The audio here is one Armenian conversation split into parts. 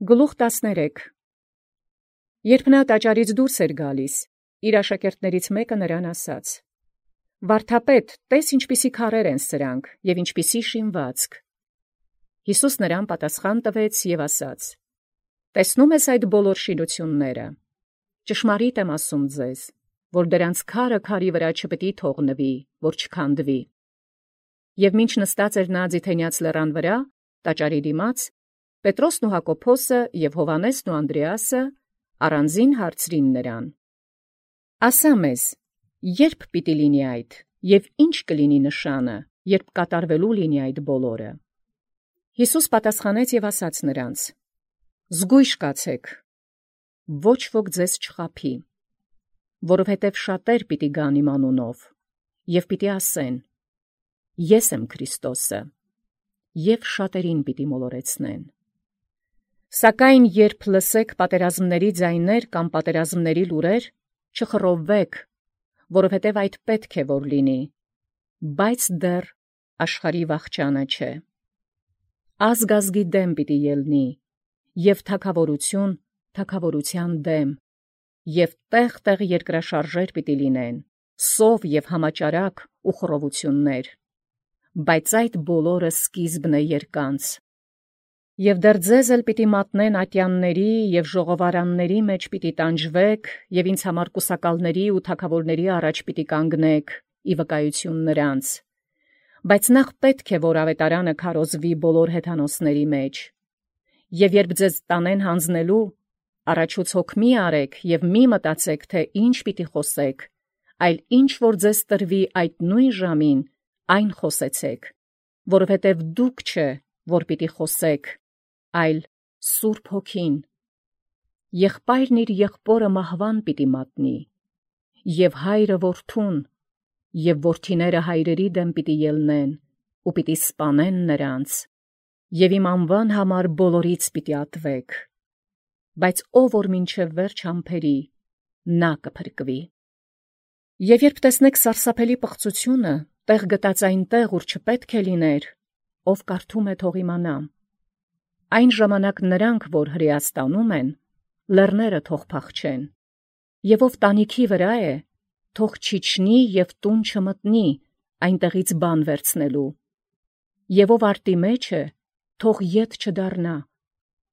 Գլուխ 13 Երբ նա տաճարից դուրս էր գալիս, իր աշակերտներից մեկը նրան ասաց. «Վարդապետ, տես ինչպիսի քարեր են սրանք և ինչպիսի շինվածք»։ Յիսուս նրան պատասխան տվեց և ասաց. «Տեսնո՞ւմ ես այդ բոլոր շինությունները. ճշմարիտ եմ ասում ձեզ, որ դրանց քարը քարի վրա չպիտի թողնվի, որ չքանդվի»։ Եվ մինչ նստած էր նա Ձիթենյաց լեռան վրա, տաճարի դիմաց, Պետրոսն ու Հակոբոսը և Հովհաննեսն ու Անդրեասը առանձին հարցրին նրան. «Ասա մեզ, ե՞րբ պիտի լինի այդ, և ի՞նչ կլինի նշանը, երբ կատարվելու լինի այդ բոլորը»։ Յիսուս պատասխանեց և ասաց նրանց. «Զգույշ կացեք, ոչ ոք ձեզ չխաբի, որովհետև շատեր պիտի գան իմ անունով, և պիտի ասեն. «Ես եմ Քրիստոսը», և շատերին պիտի մոլորեցնեն։ Սակայն երբ լսեք պատերազմների ձայներ կամ պատերազմների լուրեր, չխռովվեք, որովհետև այդ պետք է որ լինի, բայց դեռ աշխարհի վախճանը չէ։ Ազգ ազգի դեմ պիտի ելնի, և թագավորություն թագավորության դեմ, և տեղ երկրաշարժեր պիտի լինեն, սով և համաճարակ ու խռովություններ, բայց այդ բոլորը սկիզբն է երկանց։ Եվ դեռ ձեզ էլ պիտի մատնեն ատյանների և ժողովարանների մեջ պիտի տանջվեք, և ինձ համար կուսակալների ու թագավորների առաջ պիտի կանգնեք, ի վկայություն նրանց։ Բայց նախ պետք է, որ ավետարանը քարոզվի բոլոր հեթանոսների մեջ։ Եվ երբ ձեզ տանեն հանձնելու, առաջուց հոգ մի արեք և մի մտածեք, թե ինչ պիտի խոսեք, այլ ինչ որ ձեզ տրվի այդ նույն ժամին, այն խոսեցեք, որովհետև դուք չէ, որ պիտի խոսեք, այլ Սուրբ Հոգին։ Եղբայրն իր եղբորը մահվան պիտի մատնի, և հայրը որդուն, և որդիները հայրերի դեմ պիտի ելնեն, ու պիտի սպանեն նրանց, և իմ անվան համար բոլորից պիտի ատվեք, բայց ով որ մինչև վերջ համբերի, նա կփրկվի։ Եվ երբ տեսնեք սարսափելի պղծությունը, տեղ գտած այնտեղ, ուր չպետք է լիներ, ով կարդում է, թող իմանա։ Այն ժամանակ նրանք, որ հրեաստանում են, լեռները թող փախչեն, և ով տանիքի վրա է, թող չիջնի և տուն չմտնի, այնտեղից բան վերցնելու, և ով արտի մեջ է, թող ետ չդառնա,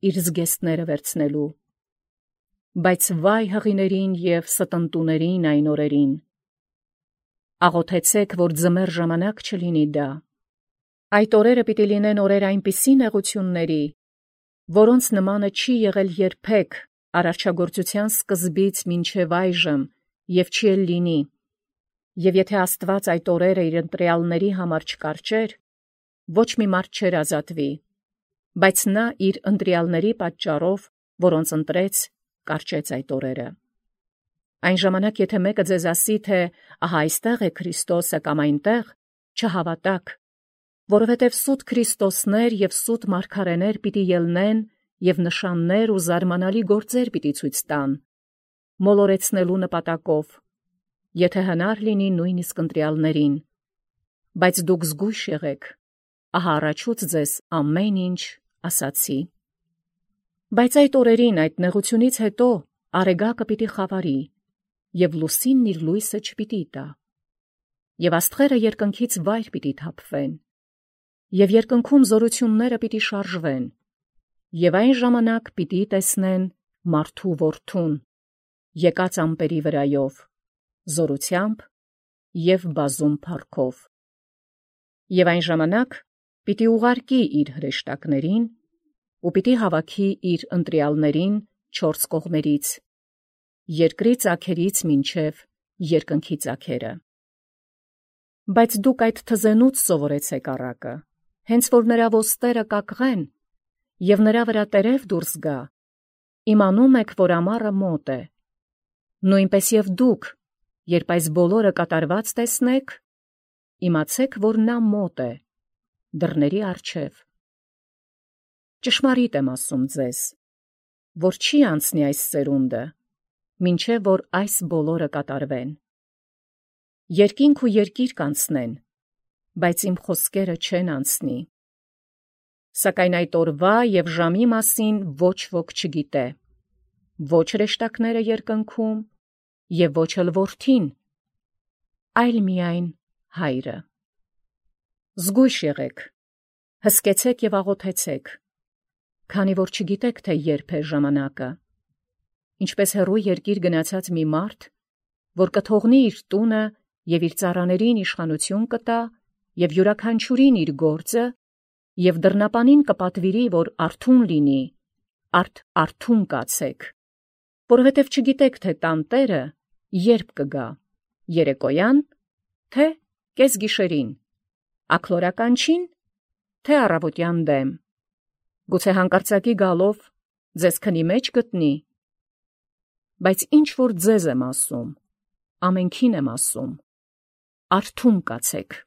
իր զգեստները վերցնելու։ Բայց վայ հղիներին և ստընտուներին այն օրերին։ Աղոթեցեք, որ ձմեռ ժամանակ չլինի դա։ Այդ օրերը պիտի լինեն օրեր այնպիսի նեղությունների, որոնց նմանը չի եղել երբեք արարչագործության սկզբից մինչև այժմ և չի էլ լինի։ Եվ եթե Աստված այդ օրերը իր ընտրյալների համար չկարճեր, ոչ մի մարդ չէր ազատվի, բայց նա իր ընտրյալների պատճառով, որոնց ընտրեց, կարճեց այդ օրերը։ Այն ժամանակ, եթե մեկը ձեզ ասի, թե ահա այստեղ է Քրիստոսը կամ այնտեղ, չհավատաք, որովհետև սուտ Քրիստոսներ և սուտ մարգարեներ պիտի ելնեն և նշաններ ու զարմանալի գործեր պիտի ցույց տան, մոլորեցնելու նպատակով, եթե հնար լինի նույնիսկ ընտրյալներին։ Բայց դուք զգույշ եղեք, ահա առաջուց ձեզ ամեն ինչ ասացի։ Բայց այդ օրերին, այդ նեղությունից հետո, արեգակը պիտի խավարի, և լուսինն իր լույսը չպիտի տա, և աստղերը երկնքից վայր պիտի թափվեն, և երկնքում զորությունները պիտի շարժվեն, և այն ժամանակ պիտի տեսնեն մարդու որդուն, եկած ամպերի վրայով, զորությամբ և բազում փառքով։ Եվ այն ժամանակ պիտի ուղարկի իր հրեշտակներին ու պիտի հավաքի իր ընտրյալներին չորս կողմերից, երկրի ծագերից մինչև երկնքի ծագերը։ Բայց դուք այդ թզենուց սովորեցեք առակը, հենց որ նրա ոստերը կակղեն, և նրա վրա տերև դուրս գա, իմանում եք, որ ամառը մոտ է։ Նույնպես և դուք, երբ այս բոլորը կատարված տեսնեք, իմացեք, որ նա մոտ է, դռների առջև։ Ճշմարիտ եմ ասում ձեզ, որ չի անցնի այս սերունդը, մինչև որ այս բոլորը կատարվեն։ Երկինք ու երկիր կանցնեն, բայց իմ խոսքերը չեն անցնի։ Սակայն այդ օրվա եւ ժամի մասին ոչ ոք չգիտե, ոչ հրեշտակները երկնքում եւ ոչ էլ որդին, այլ միայն Հայրը։ Զգույշ եղեք, հսկեցեք եւ աղոթեցեք, քանի որ չգիտեք, թե երբ է ժամանակը։ Ինչպես հեռու երկիր գնացած մի մարդ, որ կթողնի իր տունը եւ իր ծառաներին իշխանություն կտա եւ յուրաքանչյուրին իր գործը եւ դռնապանին կպատվիրի, որ արթուն լինի, արթուն կացեք, որովհետև չգիտեք, թե տանտերը երբ կգա, երեկոյան, թե կեսգիշերին, աքլորականչին, թե առավոտյան դեմ, գուցե հանկարծակի գալով ձեզ քնի մեջ գտնի, բայց ինչ որ ձեզ եմ ասում, ամենքին եմ ասում, արթուն կացեք։